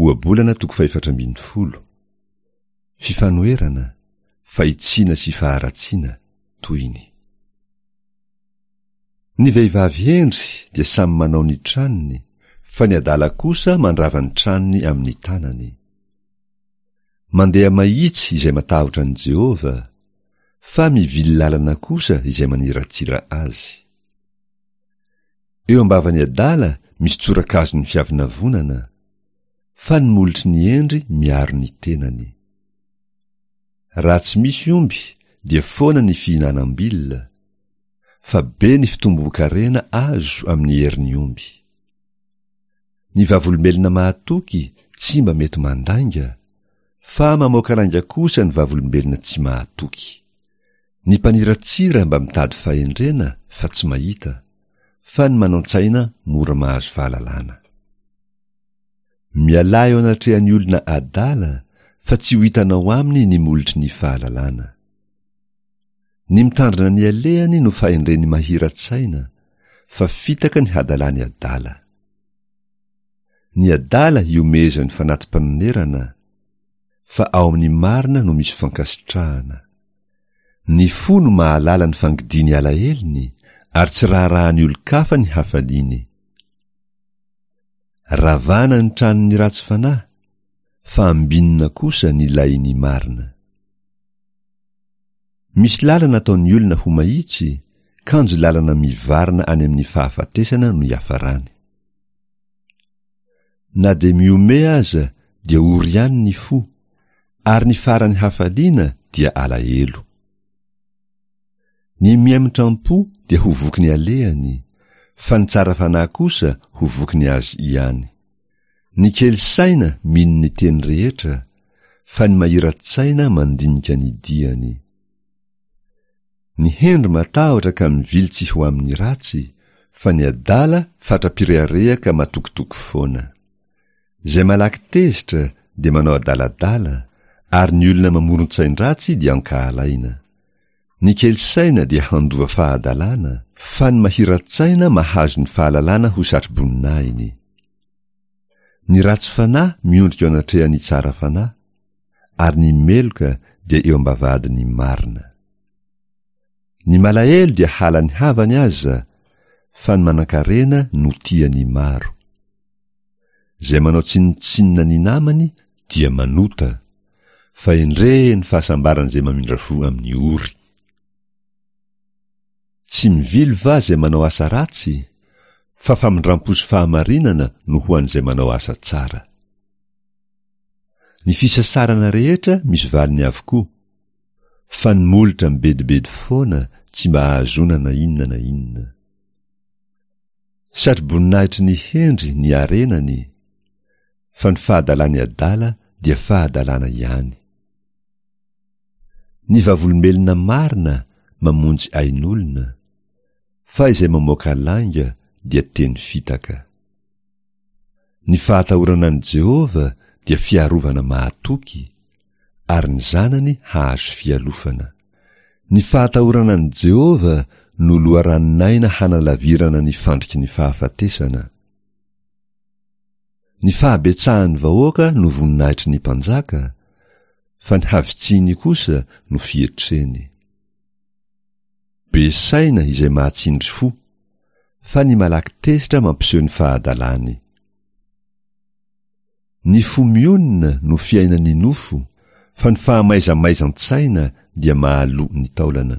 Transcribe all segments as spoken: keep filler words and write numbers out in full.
Ohabolana toko fahefatra ambin'ny folo. Fifanoherana, fahitsiana sy faharatsiana, tohiny. Ny vehivavy hendry dia samy manao ny tranony, fa ny adala kosa mandrava ny tranony amin'ny tanany. Mandeha mahitsy izay matahotra an'i Jehovah, fa mivily lalana kosa izay maniratsira azy. Eo am-bavan'ny adala misy tsorakazon'ny fiavonavonana, fa ny molotry ny hendry miaro ny tenany. Raha tsy misy omby dia foana ny fihinanam-bilona, fa be ny fitomboan-karena azo amin'ny herin'ny omby. Ny vavolombelona mahatoky tsy mba mety mandainga, fa mamoaka lainga kosa ny vavolombelona tsy mahatoky. Ny mpaniratsira mba mitady fahendrena fa tsy mahita, fa ny manan-tsaina mora mahazo fahalalana. Mialà eo anatrehan'ny olona adala, fa tsy ho hitanao aminy ny molotry ny fahalalana. Ny mitandrina ny alehany no fahendren'ny mahira-tsaina, fa fitaka ny hadalan'ny adala. Ny adala ihomehezan'ny fanati-panonerana, fa ao amin'ny marina no misy fankasitrahana. Ny fo no mahalala ny fangidian'ny alahelony, ary tsy raharahan'ny olon-kafa ny hafaliany. Ravana ny tranon'ny ratsy fanahy, fa ambinina kosa ny lahin'ny marina. Misy lalana ataon'ny olona ho mahitsy, kanjo lalana mivarina any amin'ny fahafatesana no iafarany. Na dia mihomehy aza dia ory ihany ny fo, ary ny faran'ny hafaliana dia alahelo. Ny mihemotra am-po dia ho voky ny alehany, fa ny tsara fanahy kosa ho voky ny azy ihany. Ny kely saina mino ny teny rehetra, fa ny mahira-tsaina mandinika ny diany. Ny hendry matahotra ka mivily tsy ho amin'ny ratsy, fa ny adala fatra-pirehareha ka matokitoky foana. Izay malaky tezitra dia manao adaladala, ary ny olona mamoron-tsain-dratsy dia ankahalaina. Ny kely saina dia handova fahadalana, fa ny mahira-tsaina mahazo ny fahalalana ho satroboninahiny. Ny ratsy fanahy miondrika eo anatrehan'ny tsara fanahy, ary ny meloka dia eo am-bavahadin'ny marina. Ny malahelo dia halan'ny havany aza, fa ny manankarena no tian'ny maro. Izay manao tsinontsinona ny namany dia manota, fa endrey ny fahasambaran'izay mamindra fo amin'ny ory. Tsy mivily va izay manao asa ratsy? Fa famindram-po sy fahamarinana no ho an'izay manao asa tsara. Ny fisasarana rehetra misy valiny avokoa, fa ny molotra mibedibedy foana tsy mba ahazoana na inona na inona. Satroboninahitry ny hendry ny harenany, fa ny fahadalan'ny adala dia fahadalana ihany. Ny vavolombelona marina mamonjy ain'olona, fa izay mamoaka lainga dia teny fitaka. Ny fahatahorana an'i Jehovah dia fiarovana mahatoky, ary ny zanany hahazo fialofana. Ny fahatahorana an'i Jehovah no loharanon'aina hanalavirana ny fandriky ny fahafatesana. Ny fahabetsahan'ny vahoaka no voninahitry ny mpanjaka, fa ny havitsiany kosa no fietreny. Be saina izay mahatsindry fo, fa ny malaky tezitra mampiseho ny fahadalany. Ny fo mionona no fiainan'ny nofo, fa ny fahamaizamaizan-tsaina dia mahaloa ny taolana.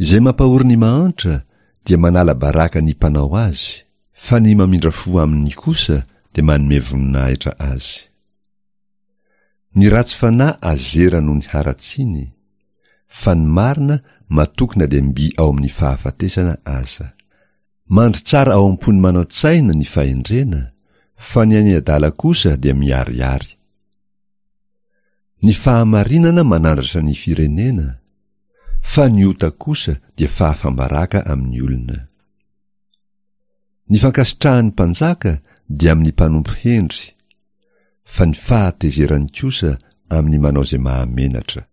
Izay mampahory ny mahantra dia manala baraka ny mpanao azy, fa ny mamindra fo aminy kosa dia manome voninahitra azy. Ny ratsy fanahy azera noho ny haratsiany, fa ny marina matoky na dia mby ao amin'ny fahafatesana aza. Mandry tsara ao am-pon'ny manan-tsaina ny fahendrena, fa ny an'ny adala kosa dia miharihary. Ny fahamarinana manandratra ny firenena, fa ny ota kosa dia fahafam-baraka amin'ny olona. Ny fankasitrahan'ny mpanjaka dia amin'ny mpanompo hendry, fa ny fahatezerany kosa amin'ny manao izay mahamenatra.